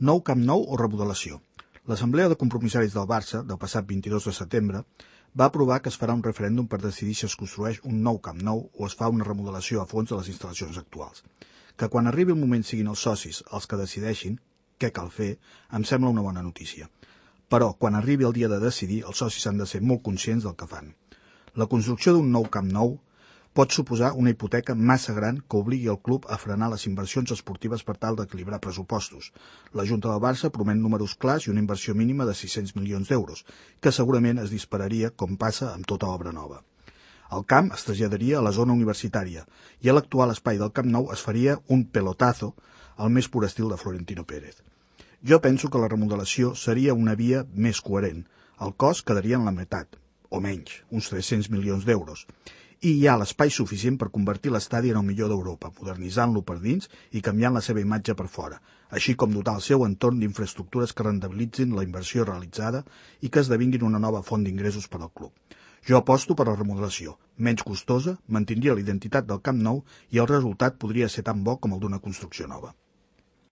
Nou Camp Nou o remodelació? L'Assemblea de Compromissaris del Barça, del passat 22 de setembre, va aprovar que es farà un referèndum per decidir si es construeix un nou Camp Nou o es fa una remodelació a fons de les instal·lacions actuals. Que quan arribi el moment siguin els socis els que decideixin què cal fer, em sembla una bona notícia. Però, quan arribi el dia de decidir, els socis han de ser molt conscients del que fan. La construcció d'un nou Camp Nou pot suposar una hipoteca massa gran que obligui el club a frenar les inversions esportives per tal d'equilibrar pressupostos. La Junta del Barça promet números clars i una inversió mínima de 600 milions d'euros, que segurament es dispararia com passa amb tota obra nova. El camp es traslladaria a la zona universitària i a l'actual espai del Camp Nou es faria un pelotazo al més pur estil de Florentino Pérez. Jo penso que la remodelació seria una via més coherent. El cost quedaria en la meitat, o menys, uns 300 milions d'euros. I hi ha l'espai suficient per convertir l'estadi en el millor d'Europa, modernitzant-lo per dins i canviant la seva imatge per fora, així com dotar el seu entorn d'infraestructures que rendibilitzin la inversió realitzada i que esdevinguin una nova font d'ingressos per al club. Jo aposto per la remodelació, menys costosa, mantindria la identitat del Camp Nou i el resultat podria ser tan bo com el d'una construcció nova.